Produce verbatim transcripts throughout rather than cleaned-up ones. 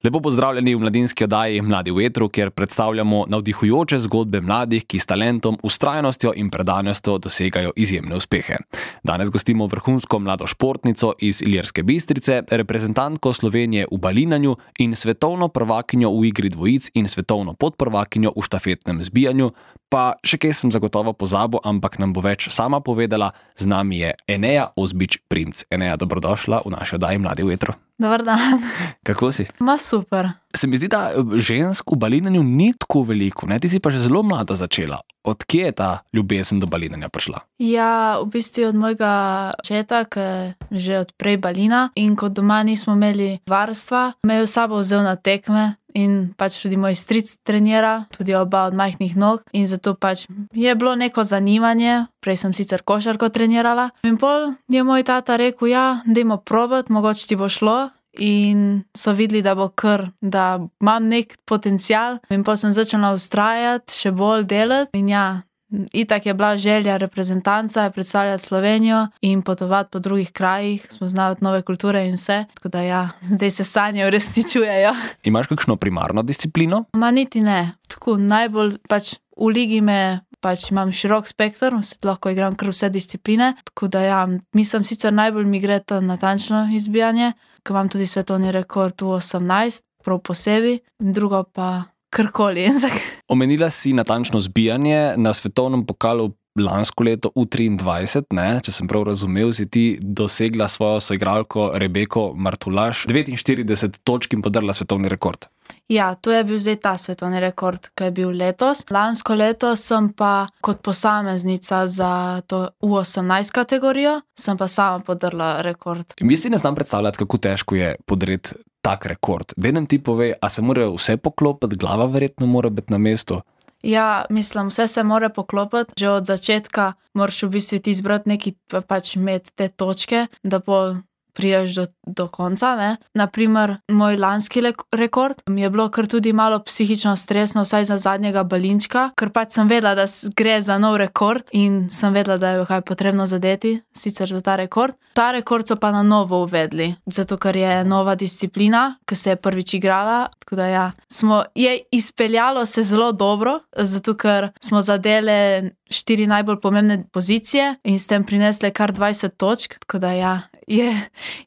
Lepo pozdravljeni v mladinski oddaji Mladi v etru, kjer predstavljamo navdihujoče zgodbe mladih, ki s talentom, vztrajnostjo in predanostjo dosegajo izjemne uspehe. Danes gostimo vrhunsko mlado športnico iz Ilirske Bistrice, reprezentantko Slovenije v balinanju in svetovno prvakinjo v igri dvojic in svetovno podprvakinjo v štafetnem zbijanju. Pa še kaj sem zagotovo pozabil, ampak nam bo več sama povedala. Z nami je Eneja Ozbič-Primc. Eneja, dobrodošla v naši oddaji Mladi v etru. Dobar dan. Kako si? Ma super. Se mi zdi, da žensk v balinanju ni tako veliko, ne? Ti si pa že zelo mlada začela. Od kje je ta ljubezen do balinanja prišla? Ja, v bistvu od mojega očeta, ki je že od prej balina, in kot doma nismo imeli varstva, me je v sabo vzel na tekme in pač tudi moj stric trenira, tudi oba od majhnih nog, in zato pač je bilo neko zanimanje. Prej sem sicer košarko trenirala in pol je moj tata rekel, ja, dajmo probat, mogoče ti bo šlo. In so videli, da bo kar, da imam nek potencial, in pa sem začela vztrajati, še bolj delati. In ja, itak je bila želja reprezentanca, predstavljati Slovenijo in potovati po drugih krajih, spoznavati nove kulture in vse. Tako da ja, zdaj se sanje uresničujejo. Imaš kakšno primarno disciplino? Ma niti ne. Tako najbolj pač v ligi me pač imam širok spekter, lahko igram kar vse discipline. Tako da ja, mislim sicer najbolj mi gre to natančno izbijanje, ko imam tudi svetovni rekord v osemnajst, prav posebej, in drugo pa karkoli. Omenila si natančno zbijanje. Na svetovnem pokalu lansko leto v triindvajset, ne, če sem prav razumel, si ti dosegla svojo soigralko Rebeko Martulaš devetinštirideset točk in podrla svetovni rekord. Ja, to je bil zdaj ta svetovni rekord, ki je bil letos. Lansko leto sem pa kot posameznica za to U osemnajst kategorijo, sem pa sama podrla rekord. Jaz si ne znam predstavljati, kako težko je podreti tak rekord. Daj nam ti povej, a se mora vse poklopiti, glava verjetno mora biti na mestu? Ja, mislim, vse se mora poklopiti. Že od začetka moraš v bistvu ti izbrati neki, pač imeti te točke, da pol priješ do, do konca, ne. Naprimer, moj lanski le- rekord mi je bilo kar tudi malo psihično stresno, vsaj za zadnjega balinčka, ker pač sem vedela, da gre za nov rekord in sem vedela, da je kaj potrebno zadeti, sicer za ta rekord. Ta rekord so pa na novo uvedli, zato ker je nova disciplina, ki se je prvič igrala, tako da ja, smo, je izpeljalo se zelo dobro, zato ker smo zadele štiri najbolj pomembne pozicije in s tem prinesle kar dvajset točk, tako da ja, je,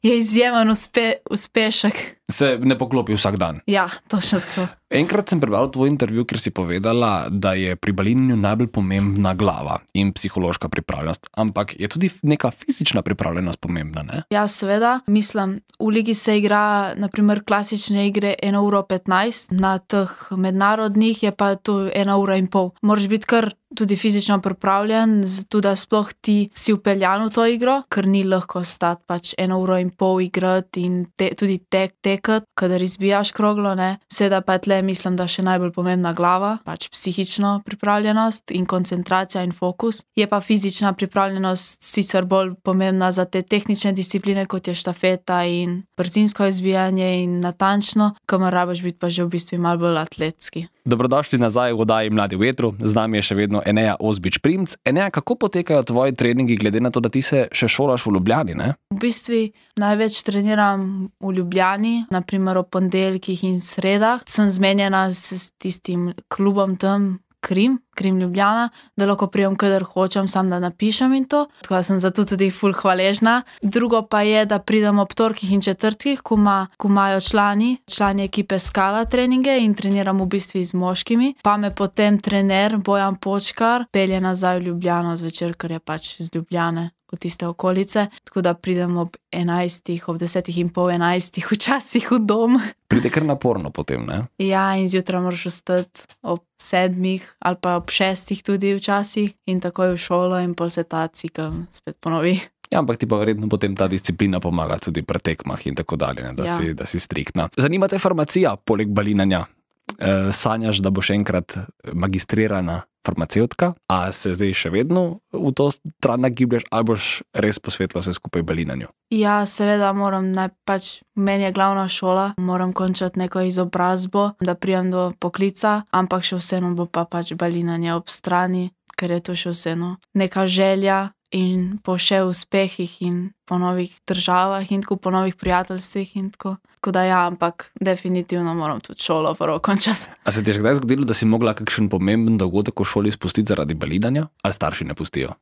je izjemen uspe, uspešek. Se ne poklopi vsak dan. Ja, točno tako. Enkrat sem prebral tvoj intervju, kjer si povedala, da je pri balinanju najbolj pomembna glava in psihološka pripravljenost, ampak je tudi neka fizična pripravljenost pomembna, ne? Ja, seveda. Mislim, v ligi se igra naprimer klasične igre ena ura petnajst, na teh mednarodnih je pa to ena ura in pol. Moraš biti kar tudi fizično pripravljen, zato da sploh ti si vpeljan v to igro, ker ni lahko stati pač eno uro in pol igrati in te, tudi tek, tekati, kadar izbijaš kroglo, ne. Seveda pa je tle, mislim, da še najbolj pomembna glava, pač psihično pripravljenost in koncentracija in fokus. Je pa fizična pripravljenost sicer bolj pomembna za te tehnične discipline, kot je štafeta in brzinsko izbijanje in natančno, kamor rabiš biti pa že v bistvu malo bolj atletski. Dobrodošli nazaj v oddaji Mladi v etru. Z nami je še vedno Eneja Ozbič-Primc. Eneja, kako potekajo tvoji treningi, glede na to, da ti se še šolaš v Ljubljani, ne? V bistvu največ treniram v Ljubljani, naprimer ob ponedeljkih in sredah. Sem zmenjena s tistim klubom tam, Krim, Krim Ljubljana, da lahko prijem, kadar hočem, sam da napišem in to. Tako da sem zato tudi ful hvaležna. Drugo pa je, da pridem ob torkih in četrtkih, ko, ma, ko imajo člani, člani ekipe Skala treninge in treniram v bistvu z moškimi. Pa me potem trener Bojan Počkar pelje nazaj v Ljubljano zvečer, ker je pač z Ljubljane, v tiste okolice. Tako da pridem ob enajstih, ob desetih in pol enajstih, včasih v dom. Pride kar naporno potem, ne? Ja, in zjutraj moraš vstati ob sedmih ali pa ob šestih tudi včasih in takoj v šolo in pol se ta cikel spet ponovi. Ja, ampak ti pa verjetno potem ta disciplina pomaga tudi pri tekmah in tako dalje, ne, da, ja. si, da si striktna. Zanima te farmacija poleg balinanja? E, sanjaš, da boš enkrat magistrirana farmacevtka, a se zdaj še vedno v to stran nagiblješ ali boš res posvetila vse skupaj balinanju? Ja, seveda moram, ne, pač meni je glavna šola, moram končati neko izobrazbo, da pridem do poklica, ampak še vseeno bo pa pač balinanje ob strani, ker je to še vseeno neka želja in po še uspehih in po novih državah in tako po novih prijateljstvih in tako. Tako da ja, ampak definitivno moram tudi šolo prvo končati. A se ti je že kdaj zgodilo, da si mogla kakšen pomemben dogodek v šoli spustiti zaradi balinanja? Ali starši ne pustijo?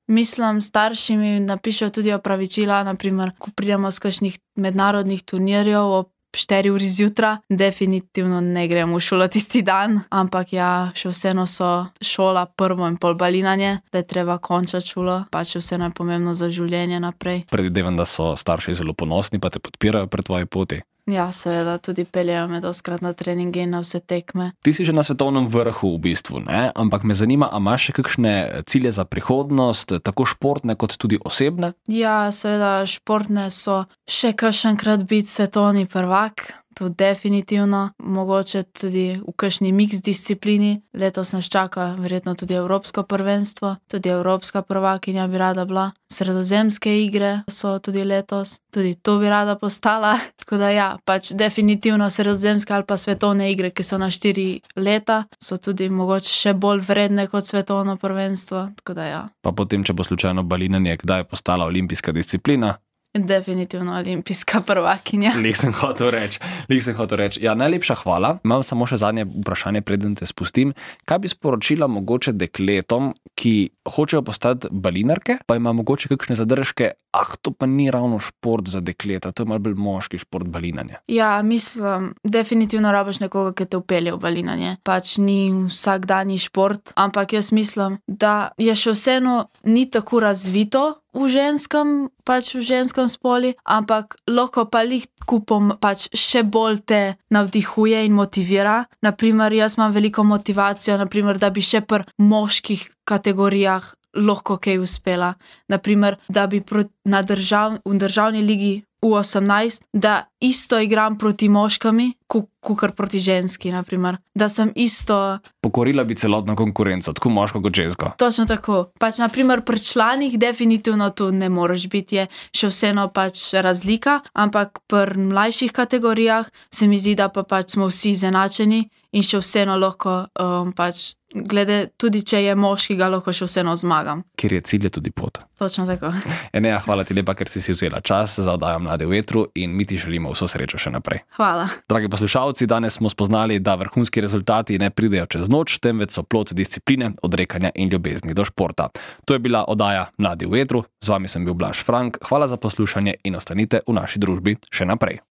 Mislim, starši mi napišejo tudi opravičila, naprimer, ko pridemo z kakšnih mednarodnih turnirjev ob štiri uri zjutraj, definitivno ne grem v šolo tisti dan, ampak ja, še vseeno so šola prvo in pol balinanje, da je treba končati šolo, pač vseeno je pomembno za življenje naprej. Predvidevam, da so starši zelo ponosni, pa te podpirajo pri tvoji poti. Ja, seveda, tudi peljejo me doskrat na treninge in na vse tekme. Ti si že na svetovnem vrhu v bistvu, ne? Ampak me zanima, a imaš še kakšne cilje za prihodnost, tako športne kot tudi osebne? Ja, seveda, športne so še kakšenkrat biti svetovni prvak. To definitivno, mogoče tudi v kakšni mix disciplini. Letos nas čaka verjetno tudi evropsko prvenstvo, tudi evropska prvakinja bi rada bila. Sredozemske igre so tudi letos, tudi to bi rada postala. Tako da ja, pač definitivno sredozemske ali pa svetovne igre, ki so na štiri leta, so tudi mogoče še bolj vredne kot svetovno prvenstvo. Tako da ja. Pa potem, če bo slučajno balinanje, kdaj je postala olimpijska disciplina? Definitivno olimpijska prvakinja. Lih sem hotel reči, lih sem hotel reči. Ja, najlepša hvala. Imam samo še zadnje vprašanje, preden te spustim. Kaj bi sporočila mogoče dekletom, ki hočejo postati balinarke, pa ima mogoče kakšne zadržke, ah, to pa ni ravno šport za dekleta, to je malo bolj moški šport balinanje. Ja, mislim, definitivno rabiš nekoga, ki te vpelje v balinanje. Pač ni vsakdanji šport, ampak jaz mislim, da je še vseeno ni tako razvito v ženskem, pač v ženskem spoli, ampak lahko pa lih kupom pač še bolj te navdihuje in motivira. Naprimer, jaz imam veliko motivacijo, naprimer, da bi še pri moških kategorijah lahko kaj uspela. Naprimer, da bi pro, na držav, v državni ligi U osemnajst, da isto igram proti moškami, kakor proti ženski, naprimer. Da sem isto... Pokorila bi celotno konkurenco, tako moško kot žensko. Točno tako. Pač, naprimer, pri članih definitivno tu ne moreš biti, je še vseeno pač razlika, ampak pri mlajših kategorijah se mi zdi, da pa pač smo vsi izenačeni in še vseeno lahko um, pač glede, tudi če je moški, ga lahko še vseeno zmagam. Ker je cilj, je tudi pot. Točno tako. Enea, hvala ti lepa, ker si si vzela čas za oddajo Mladi v vetru in mi ti želimo vso srečo še naprej. Hvala. Dragi poslušalci, danes smo spoznali, da vrhunski rezultati ne pridejo čez noč, temveč so plod discipline, odrekanja in ljubezni do športa. To je bila oddaja Mladi v vetru, z vami sem bil Blaž Frank, hvala za poslušanje in ostanite v naši družbi še naprej.